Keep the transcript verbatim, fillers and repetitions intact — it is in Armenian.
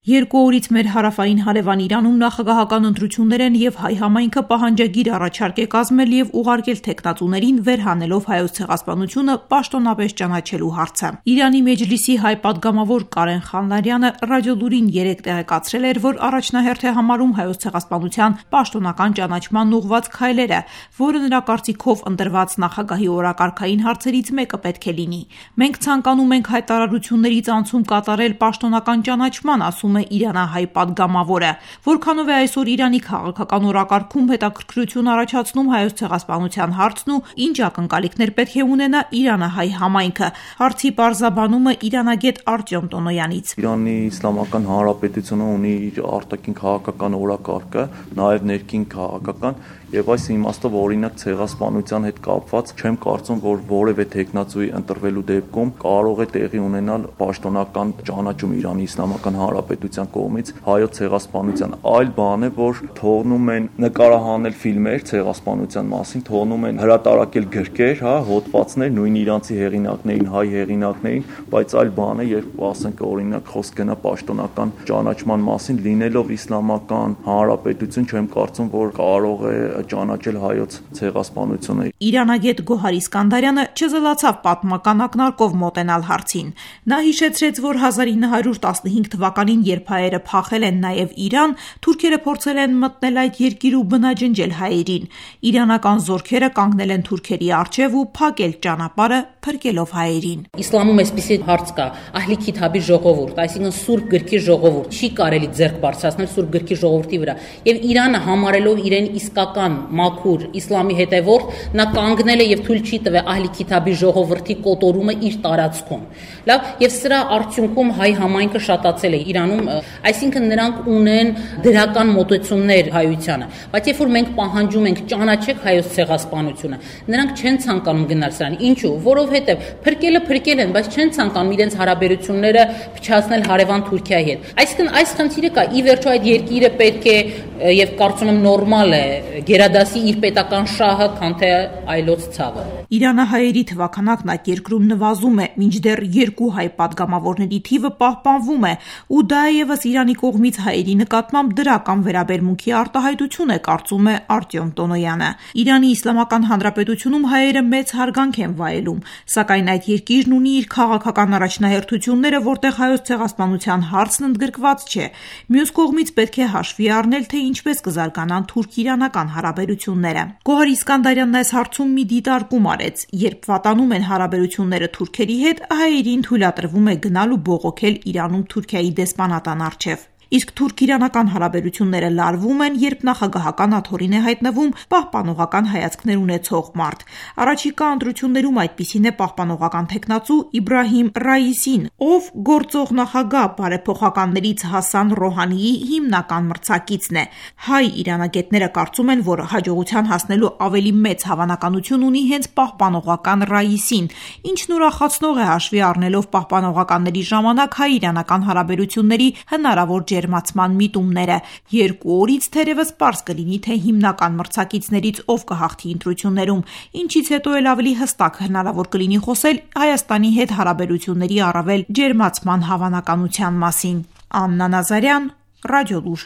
Երկու օրից մեր հարավային հարևան Իրանում նախագահական ընտրություններ են և հայ համայնքը պահանջագիր առաջարկ է կազմել և ուղարկել թեկնածուներին վերհանելով Հայոց ցեղասպանությունը պաշտոնապես ճանաչելու հարցը։ Իրանի Մեջլիսի հայ պատգամավոր Կարեն Խանլարյանը Ռադիոլուրին երեկ տեղեկացրել էր, որ առաջնահերթ է համարում Հայոց ցեղասպանության պաշտոնական ճանաչման ուղղված քայլերը, որը նրա կարծիքով ընտրված նախագահի օրակարգային հարցերից մեկը պետք է լինի։ Մենք ցանկանում ենք հայտարարություններից անցում կատարել պաշտոնական ճանաչման, ասում է իրանահայ պատգամավորը, որքանով է այսօր Իրանի քաղաքական օրակարգում հետաքրքրություն առաջացնում Հայոց ցեղասպանության հարցն ու ինչ ակնկալիքներ պետք է ունենա իրանահայ համայնքը։ Հարցի պարզաբանումը իրանագետ Արտյոմ Տոնոյանից։ Իրանի Իսլամական Հանրապետությունը ունի իր արտաքին քաղաքական օրակարգը, նաև ներքին քաղաքական, եւ այս իմաստով օրինակ ցեղասպանության հետ կապված չեմ կարծում, որ որևէ թեկնածուի ընտրվելու դեպքում կարող է տեղի ունենալ պաշտոնական ճանաչում Իրանի Իսլամական Հանրապետության կողմից հայոց ցեղասպանության։ Այլ բան է, որ թողնում են նկարահանել ֆիլմեր ցեղասպանության մասին, թողնում են հրատարակել գրքեր, հա, հոդվածներ նույն իրանցի հեղինակներին, հայ հեղինակներին, բայց այլ բան է, երբ ասենք օրինակ խոսք գնա պաշտոնական ճանաչման մասին, լինելով Իսլամական Հանրապետություն, չեմ կարծում, որ կարող է ճանաչել հայոց ցեղասպանությունը։ Իրանագետ Գոհար Իսկանդարյանը չզլացավ պատմական ակնարկով մոտենալ հարցին։ Նա հիշեցրեց, որ հազար ինը հարյուր տասնհինգ թվականին, երբ հայերը փախել են նաև Իրան, թուրքերը փորձել են մտնել այդ երկիր ու բնաջնջել հայերին։ Իրանական զորքերը կանգնել են թուրքերի առջև ու փակել ճանապարհը, փրկելով հայերին։ Իսլամում այսպիսի հարց կա՝ Ահլի Քիթաբի ժողովուրդ, այսինքն Սուրբ գրքի ժողովուրդ, չի կարելի ձեռք բարձրացնել Սուրբ գրքի ժողովրդի վրա։ Եվ Իրանը համարելով իրեն իսկական մաքուր իսլամի հետևորդ, նա կանգնել է եւ թույլ չի տվել Ահլի Քիթաբի ժողովրդի կոտորումը իր տարածքում։ Լավ, եւ սրա արդյունքում հայ համայնքը շատացել է Իրանում, այսինքն նրանք ունեն դրական մոտեցումներ հայությանը, բայց երբ որ մենք պահանջում ենք ճանաչեք հայոց ցեղասպանությունը, նրանք չեն ցանկանում գնալ սրան։ Ինչու՞, որովհետեւ փրկելը փրկել են, բայց չեն ցանկանում իրենց հարաբերությունները փչացնել հարևան Թուրքիայի հետ։ Այսինքն այս խնդիրը կա, ի վերջո այդ երկիրը պետք է եւ կարծում եմ նորմալ է գերադասի իր պետական շահը, քան թե այլոց ցավը։ Իրանահայերի թվաքանակն այդ երկրում նվազում է, մինչդեռ երկու հայ պատգամավորների թիվը պահպանվում է, ու դա եւս Իրանի կողմից հայերի նկատմամբ դրական վերաբերմունքի արտահայտություն է, կարծում է Արտյոմ Տոնոյանը։ Իրանի Իսլամական Հանրապետությունում հայերը մեծ հարգանք են վայելում, սակայն այդ երկիրն ունի իր քաղաքական առաջնահերթությունները, որտեղ հայոց ցեղասպանության հարցն ընդգրկված չէ։ Մյուս կողմից պետք է հաշվի առնել, թե ինչպես կզարգանան թուրք-իրանական հարաբերությունները։ Գոհար Իսկանդարյանն այս հարցում մի դիտարկում արեց. երբ վատանում են հարաբերությունները թուրքերի հետ, հայերին թույլատրվում է գնալ ու բողոքել Իրանում Թուրքիայի դեսպանատան առջև։ Իսկ թուրք-իրանական հարաբերությունները լարվում են, երբ նախագահական աթոռին է հայտնվում պահպանողական հայացքներ ունեցող մարդ։ Առաջիկա ընտրություններում այդպիսին է պահպանողական թեկնածու Իբրահիմ Ռայիսին, ով գործող նախագահ բարեփոխականներից Հասան Ռոհանիի հիմնական մրցակիցն է։ Հայ իրանագետները կարծում են, որ հաջողության հասնելու ավելի մեծ հավանականություն ունի հենց պահպանողական Ռայիսին, ինչն ուրախացնող է հաշվի առնելով պահպանողականների ժամանակ հայ-իրանական հարաբերությունների հնարավոր ջերմացման միտումները։ Երկու օրից թերևս պարզ կլինի, թե հիմնական մրցակիցներից ով կհաղթի ընտրություններում, ինչից հետո էլ ավելի հստակ հնարավոր կլինի խոսել Հայաստանի հետ հարաբերությունների առավել ջերմացման հավանականության մասին։ Աննա Նազարյան, Ռադիոլուր։